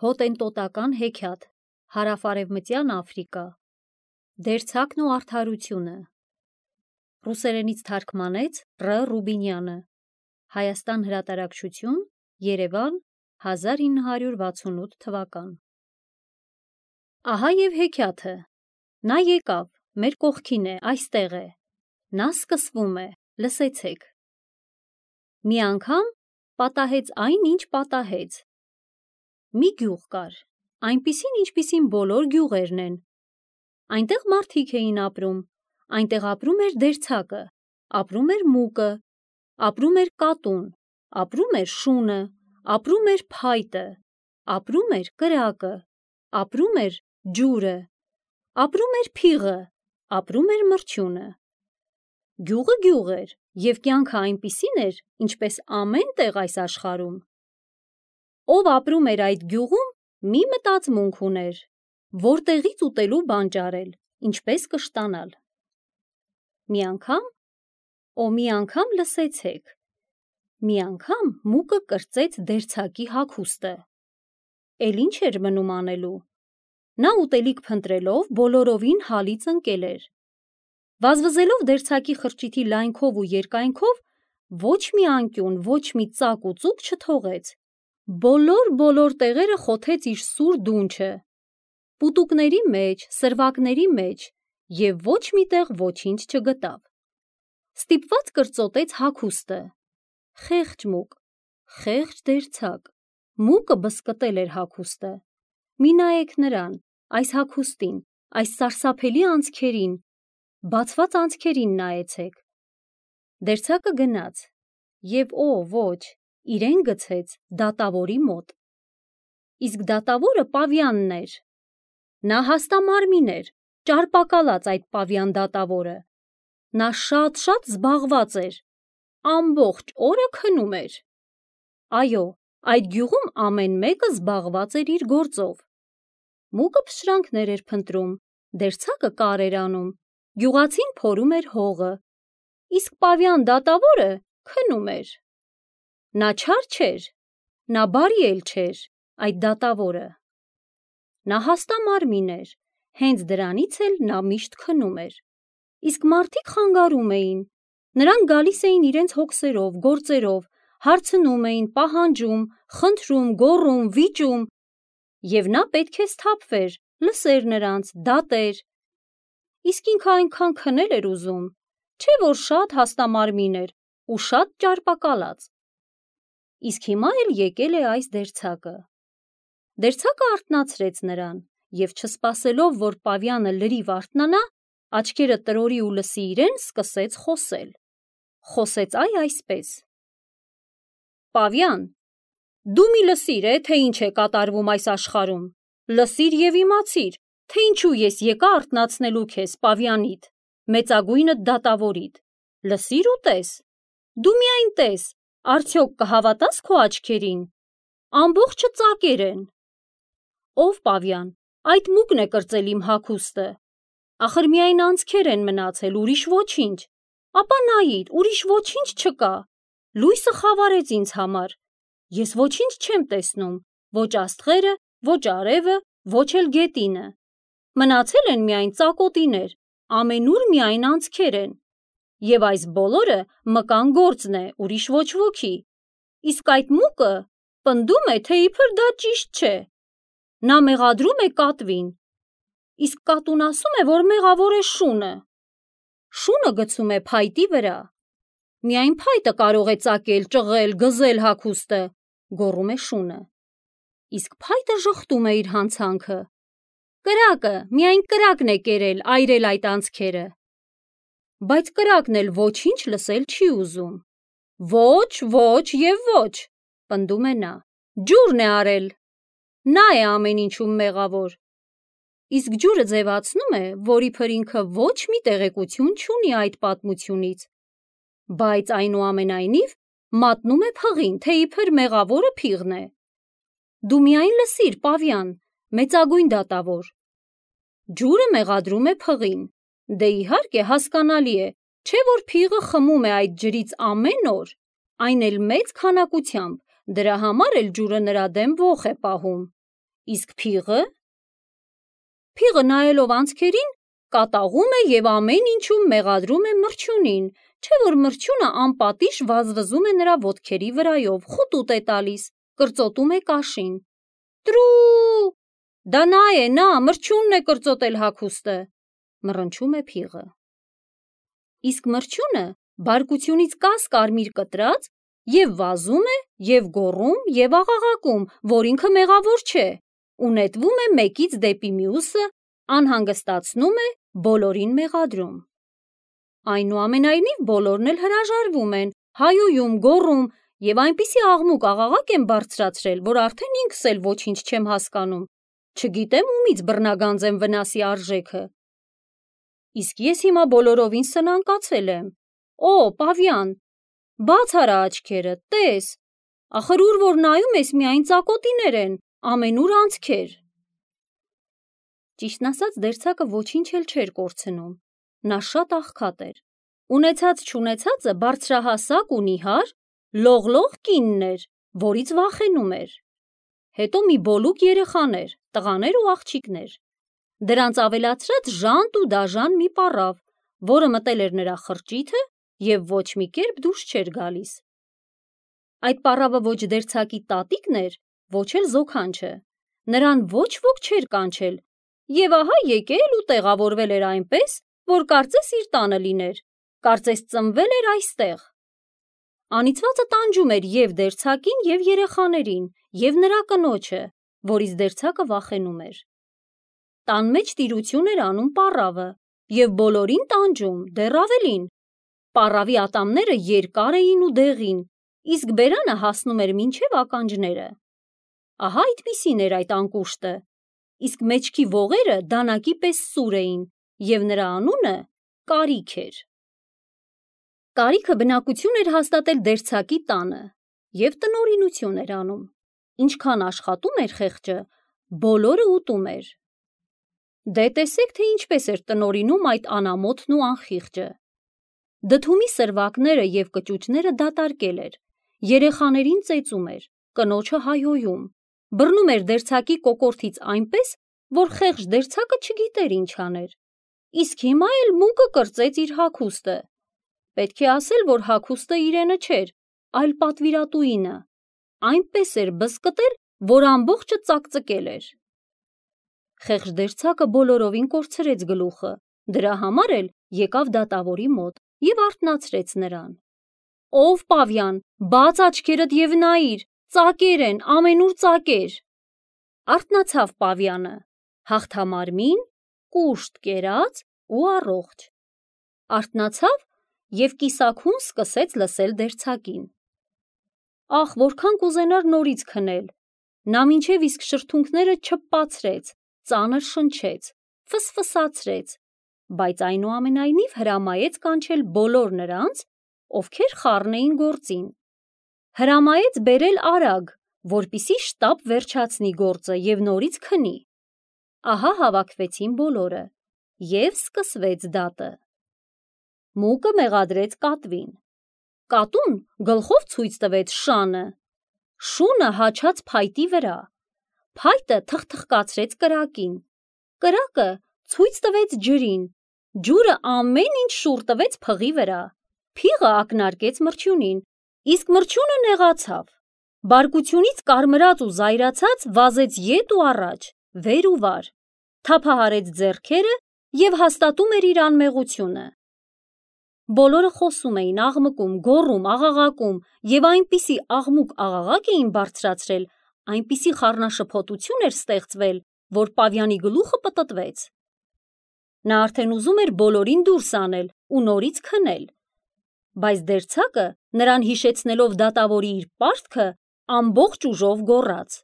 Հոտենտոտական հեքիաթ, Հարավարևմտյան Աֆրիկա, Դերձակն ու արդարությունը, ռուսերենից թարգմանեց Ռ. Ռուբինյանը, Հայաստան հրատարակչություն, Երևան, 1968 թվական։ Ահա և հեքիաթը, նա եկավ, մեր կողքին է, այստեղ է, նա սկսվում է, լսեցեք։ Մի անգամ պատահեց այն, ինչ պատահեց։ Մի գյուղ կար, այնպիսին, ինչպիսին բոլոր գյուղերն են։ Այնտեղ մարդիկ էին ապրում, այնտեղ ապրում էր դերձակը, ապրում էր մուկը, ապրում էր կատուն, ապրում էր շունը, ապրում էր փայտը, ապրում էր կրակը, ապրում էր ջուրը, ապրում էր փիղը, ապրում էր մրջյունը։ Գյուղը գյուղ էր, և կյանքը այնպիսին էր, ինչպես ամեն տեղ այս աշխարհում։ Ով ապրում էր այդ գյուղում, մի մտածմունք ուներ, որտեղից ուտելու բան ճարել, ինչպես կշտանալ։ Մի անգամ լսեցեք, մի անգամ մուկը կրծեց դերձակի հագուստը։ Էլ ինչ էր մնում անելու։ Նա ուտելիք փնտրելով բոլորովին հալից ընկել էր։ Վազվզելով դերձակի խրճիթի լայնքով ու երկայնքով, ոչ մի անկյուն, ոչ մի ծակ ու ծուկ չթողեց։ Բոլոր տեղերը խոթեց իր սուր դունչը, պուտուկների մեջ, սրվակների մեջ, և ոչ մի տեղ ոչինչ չգտավ։ Ստիպված կրծոտեց հագուստը։ Խեղճ մուկ, խեղճ դերձակ, մուկը բզկտել էր հագուստը։ Մի նայեք նրան, այս հագուստին, այս սարսափելի անցքերին, բացված անցքերին նայեցեք։ Դերձակը գնաց և ոչ, իրեն գցեց դատավորի մոտ։ Իսկ դատավորը Պավյանն էր։ Նա հաստամարմին էր, ճարպակալած այդ Պավյան դատավորը։ Նա շատ զբաղված էր, ամբողջ օրը քնում էր։ Այո, այդ գյուղում ամեն մեկը զբաղված էր իր գործով։ Մուկը փշրանքներ էր փնտրում, դերձակը կար էր անում, գյուղացին փորում էր հողը, իսկ Պավյան դատավորը քնում էր։ Նա չար չէր, նա բարի էլ չէր, այդ դատավորը։ Նա հաստամարմին էր, հենց դրանից էլ նա միշտ քնում էր։ Իսկ մարդիկ խանգարում էին, նրանք գալիս էին իրենց հոգսերով, գործերով, հարցնում էին, պահանջում, խնդրում, գոռում, վիճում, և նա պետք է սթափվեր, լսեր նրանց, դատեր։ Իսկ ինքը այնքան քնել էր ուզում, չէ՞ որ շատ հաստամարմին էր ու շատ ճարպակալած։ Իսկ հիմա էլ եկել է այս դերձակը։ Դերձակը արթնացրեց նրան և չսպասելով, որ Պավյանը լրիվ արթնանա, աչքերը տրորի ու լսի իրեն, սկսեց խոսել։ Խոսեց այսպես. Պավյան, դու մի լսիր, թե ինչ է կատարվում այս աշխարհում, լսիր և իմացիր, թե ինչու ես եկա արթնացնելու քեզ Պավյանիդ, մեծագույնդ դատավորիդ, լսիր ու տես, դու միայն տես, արդյոք կհավատաս քո աչքերին, ամբողջը ծակեր են։ Ով Պավյան, այդ մուկն է կրծել իմ հագուստը, ախր միայն անցքեր են մնացել, ուրիշ ոչինչ, ապա նայիր, ուրիշ ոչինչ չկա, լույսը խավարեց ինձ համար, ես ոչինչ չեմ տեսնում, ոչ աստղերը, ոչ արևը, ոչ էլ գետինը, մնացել են միայն ծակոտիներ, ամենուր միայն անցքեր են, և այս բոլորը մկան գործն է, ուրիշ ոչ ոքի, իսկ այդ մուկը պնդում է, թե իբր դա ճիշտ չէ, նա մեղադրում է կատվին, իսկ կատուն ասում է, որ մեղավոր է շունը, շունը գցում է փայտի վրա, միայն փայտը կարող է ծակել, ճղել, գզել հագուստը, գոռում է շունը, իսկ փայտը ժխտում է իր հանցանքը, կրակը, միայն կրակն է կերել, այրել այդ անցքերը, բայց կրակն էլ ոչինչ լսել չի ուզում, ոչ և ոչ, պնդում է նա, ջուրն է արել, նա է ամեն ինչում մեղավոր, իսկ ջուրը ձևացնում է, որ իբր ինքը ոչ մի տեղեկություն չունի այդ պատմությունից, բայց այնուամենայնիվ մատնում է փղին, թե իբր մեղավորը փիղն է։ Դու միայն լսիր, Պավյան, մեծագույն դատավոր, ջուրը մեղադրում է փղին, դե իհարկե հասկանալի է, չէ՞ որ փիղը խմում է այդ ջրից ամեն օր, այն էլ մեծ քանակությամբ, դրա համար էլ ջուրը նրա դեմ ոխ է պահում, Իսկ փիղը։ Փիղը նայելով անցքերին, կատաղում է և ամեն ինչում մեղադրում է մրջյունին, չէ՞ որ մրջյունը անպատիժ վազվզում է նրա ոտքերի վրայով, խուտուտ է տալիս, կրծոտում է կաշին։ Տրու, դա նա է, նա, մրջյունն է կրծոտել հագուստը, մռնչում է փիղը։ Իսկ մրջյունը բարկությունից կաս-կարմիր կտրած և վազում է, և գոռում, և աղաղակում, որ ինքը մեղավոր չէ, ու նետվում է մեկից դեպի մյուսը, անհանգստացնում է, բոլորին մեղադրում։ Այնուամենայնիվ բոլորն էլ հրաժարվում են, հայոյում, գոռում և այնպիսի աղմուկ-աղաղակ են բարձրացրել, որ արդեն ինքս էլ ոչինչ չեմ հասկանում, չգիտեմ ումից բռնագանձեմ վնասի արժեքը։ Իսկ ես հիմա բոլորովին սնանկացել եմ։ Օ, Պավյան, բաց արա աչքերդ, տես, ախր ուր որ նայում ես միայն ծակոտիներ են, ամենուր անցքեր։ Ճիշտն ասած, դերձակը ոչինչ էլ չէր կորցնում, նա շատ աղքատ էր, ունեցած-չունեցածը բարձրահասակ ու նիհար, լողլող կինն էր, որից վախենում էր։ Հետո մի բոլուկ երեխաներ, տղաներ ու աղջիկներ, դրանց ավելացրած ժանտ ու դաժան մի պառավ, որը մտել էր նրա խրճիթը և ոչ մի կերպ դուրս չէր գալիս։ Այդ պառավը ոչ դերձակի տատիկն էր, ոչ էլ զոքանչը, նրան ոչ ոք չէր կանչել, և ահա եկել ու տեղավորվել էր այնպես, որ կարծես իր տանը լիներ, կարծես ծնվել էր այստեղ։ Անիծվածը տանջում էր և դերձակին, և երեխաներին, և նրա կնոջը, որից դերձակը վախենում էր։ Տան մեջ տիրություն էր անում պառավը և բոլորին տանջում, դեռ ավելին։ Պառավի ատամները երկար էին ու դեղին, իսկ բերանը հասնում էր մինչև ականջները։ Ահա այդպիսին էր այդ անկուշտը, իսկ մեջքի ողերը դանակի պես սուր էին, և նրա անունը Կարիք էր։ Կարիքը բնակություն էր հաստատել դերձակի տանը և տնօրինություն էր անում։ Ինչքան աշխատում էր խեղճը, բոլորը ուտում էր։ Դե տեսեք, թե ինչպես էր տնօրինում այդ անամոթն ու անխիղճը։ Դդումի սրվակները և կճուճները դատարկել էր, երեխաներին ծեծում էր, կնոջը հայոյում, բռնում էր դերձակի կոկորդից այնպես, որ խեղճ դերձակը չգիտեր ինչ աներ, իսկ հիմա էլ մուկը կրծեց իր հագուստը։ Պետք է ասել, որ հագուստը իրենը չէր, այլ պատվիրատուինը, այնպես էր բզկտել, որ ամբողջը ծակծկել էր։ Խեղճ դերձակը բոլորովին կորցրեց գլուխը, դրա համար էլ եկավ դատավորի մոտ և արթնացրեց նրան։ Ով Պավյան, բաց աչքերդ և նայիր, ծակեր են, ամենուր ծակեր։ Արթնացավ Պավյանը, հաղթամարմին, կուշտ կերած ու առողջ։ Արթնացավ և կիսաքուն սկսեց լսել դերձակին։ Ախ, որքան կուզենար նորից քնել։ Նա մինչև իսկ շրթունքները չպացրեց, ծանր շնչեց, ֆսֆսացրեց, բայց այնուամենայնիվ հրամայեց կանչել բոլոր նրանց, ովքեր խառն էին գործին։ Հրամայեց բերել արագ, որպեսզի շտապ վերջացնի գործը և նորից քնի։ Ահա հավաքվեցին բոլորը, և սկսվեց դատը։ Մուկը մեղադրեց կատվին։ Կատուն գլխով ցույց տվեց շանը, շունը հաչաց փայտի վրա, փայտը թխթխկացրեց կրակին, կրակը ցույց տվեց ջրին, ջուրը ամեն ինչ շուռ տվեց փղի վրա, փիղը ակնարկեց մրջյունին, իսկ մրջյունը նեղացավ, բարկությունից կարմրած ու զայրացած վազեց ետ ու առաջ, վեր ու վար, թափահարեց ձեռքերը և հաստատում էր իր անմեղությունը։ Բոլորը խոսում էին, աղմկում, գոռում, աղաղակում և այնպիսի աղմուկ-աղաղակ էին բարձրացրել, այնպիսի խառնաշփոթություն էր ստեղծվել, որ Պավյանի գլուխը պտտվեց։ Նա արդեն ուզում էր բոլորին դուրս անել ու նորից քնել, բայց դերձակը, նրան հիշեցնելով դատավորի իր պարտքը, ամբողջ ուժով գոռաց.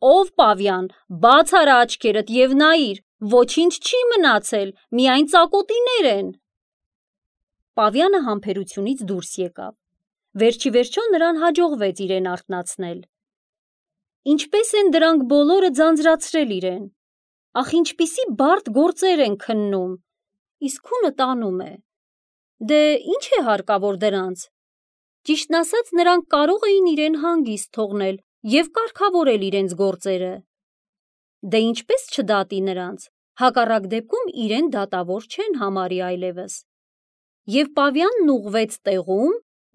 Ով Պավյան, բաց արա աչքերդ և նայիր, ոչինչ չի մնացել, միայն ծակոտիներ են։ Պավյանը համբերությունից դուրս եկավ։ Վերջիվերջո նրան հաջողվեց իրեն արթնացնել։ Ինչպես են դրանք բոլորը ձանձրացրել իրեն։ Ախ, ինչպիսի բարդ գործեր են քննում, իսկ քունը տանում է։ Դե ինչ է հարկավոր դրանց։ Ճիշտն ասած, նրանք կարող էին իրեն հանգիստ թողնել և կարգավորել իրենց գործերը։ Դե ինչպես չդատի նրանց, հակառակ դեպքում իրեն դատավոր չեն համարի այլևս։ Եվ Պավյանն ուղղվեց տեղում,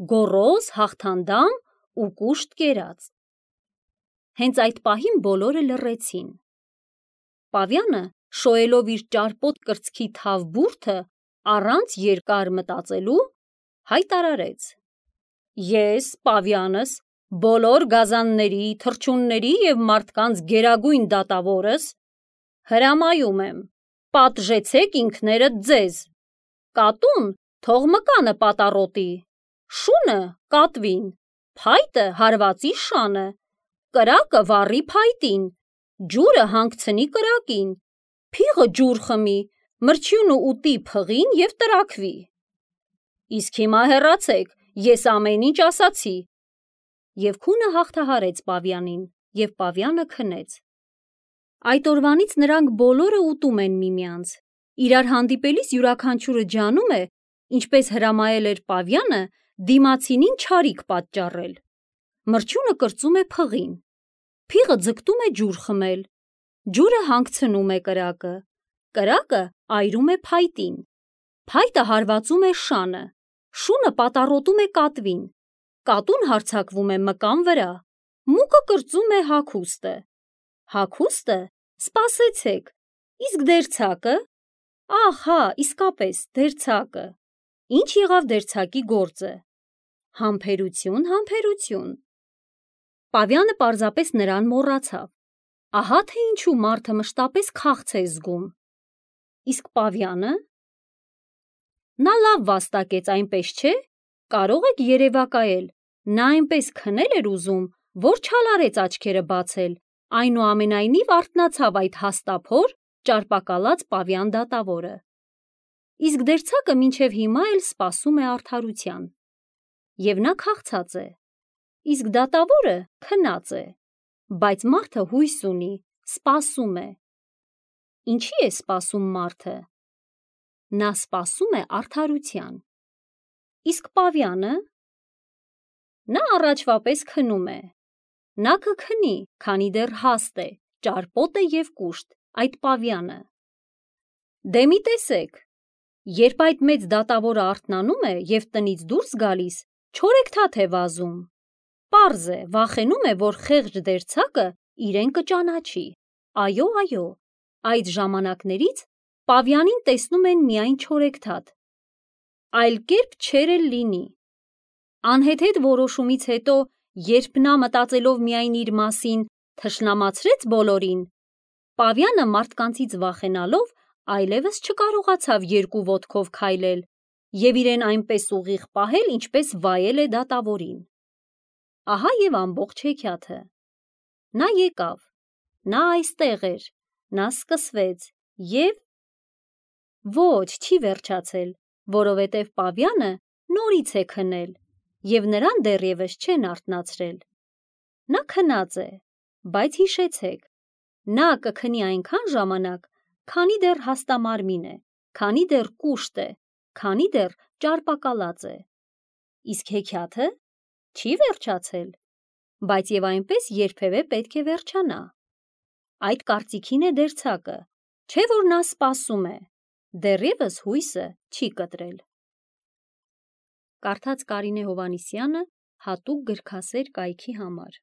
գոռոզ, հաղթանդամ ու կուշտ կերած։ Հենց այդ պահին բոլորը լռեցին։ Պավյանը, շոյելով իր ճարպոտ կրծքի թավ բուրդը, առանց երկար մտածելու, հայտարարեց. Ես, Պավյանս, բոլոր գազանների, թռչունների և մարդկանց գերագույն դատավորս, հրամայում եմ, պատժեցեք ինքներդ ձեզ, կատուն թող մկանը պատառոտի, շունը կատվին, փայտը հարվածի շանը, կրակը վառի փայտին, ջուրը հանգցնի կրակին, փիղը ջուր խմի, մրջյունը ուտի փղին և տրաքվի։ Իսկ հիմա հեռացեք, ես ամեն ինչ ասացի։ Եվ քունը հաղթահարեց Պավյանին, և Պավյանը քնեց։ Այդ օրվանից նրանք բոլորը ուտում են միմյանց։ Իրար հանդիպելիս յուրաքանչյուրը ջանում է, ինչպես հրամայել էր Պավյանը, դիմացինին չարիք պատճառել։ Մրջյունը կրծում է փղին, փիղը ձգտում է ջուր խմել, ջուրը հանգցնում է կրակը, կրակը այրում է փայտին, փայտը հարվածում է շանը, շունը պատառոտում է կատվին, կատուն հարձակվում է մկան վրա, մուկը կրծում է հագուստը, հագուստը, սպասեցեք, իսկ դերձակը, ահ հա, իսկապես, դերձակը, ինչ եղավ դերձակի գործը, համբերություն, համբերություն։ Պավյանը պարզապես նրան մոռացավ, ահա թե ինչու մարդը մշտապես քաղց է զգում։ Իսկ Պավյանը, նա լավ վաստակեց, այնպես չէ, կարող եք երևակայել, նա այնպես քնել էր ուզում, որ չարարեց աչքերը բացել, այնուամենայնիվ արթնացավ այդ հաստափոր, ճարպակալած Պավյան դատավորը։ Իսկ դերձակը մինչև հիմա էլ սպասում է արդարության։ Եվ նա քաղցած է, իսկ դատավորը քնած է, բայց մարդը հույս ունի, սպասում է։ Ինչի է սպասում մարդը։ Նա սպասում է արդարության։ Իսկ Պավյանը, նա առաջվա պես քնում է։ Նա կքնի, քանի դեռ հաստ է, ճարպոտ է և կուշտ, այդ Պավյանը։ Դե մի տեսեք, երբ այդ մեծ դատավորը արթնանում է և տնից դուրս գալիս, չորեքթաթ է վազում։ Պարզ է, վախենում է, որ խեղճ դերձակը իրեն կճանաչի։ Այո, այո, այդ ժամանակներից Պավյանին տեսնում են միայն չորեքթաթ։ Այլ կերպ չէր էլ լինի։ Անհեթեթ որոշումից հետո, երբ նա մտածելով միայն իր մասին, թշնամացրեց բոլորին, Պավյանը մարդկանցից վախենալով այլևս չկարողացավ երկու ոտքով քայլել և իրեն այնպես ուղիղ պահել, ինչպես վայել է դատավորին։ Ահա և ամբողջ հեքիաթը։ Նա եկավ, նա այստեղ էր, նա սկսվեց և… Ոչ, չի վերջացել, որովհետև Պավյանը նորից է քնել և նրան դեռևս չեն արթնացրել։ Նա քնած է, բայց հիշեցեք, նա կքնի այնքան ժամանակ, քանի դեռ հաստամարմին է, քանի դեռ կուշտ է, քանի դեռ ճարպակալած է։ Իսկ հեքիաթը չի վերջացել, բայց և այնպես երբևէ պետք է վերջանա։ Այդ կարծիքին է դերձակը, չէ՞ որ նա սպասում է, դեռևս հույսը չի կտրել։ Կարդաց Կարինե Հովհաննիսյանը հատուկ գրքասեր կայքի համար։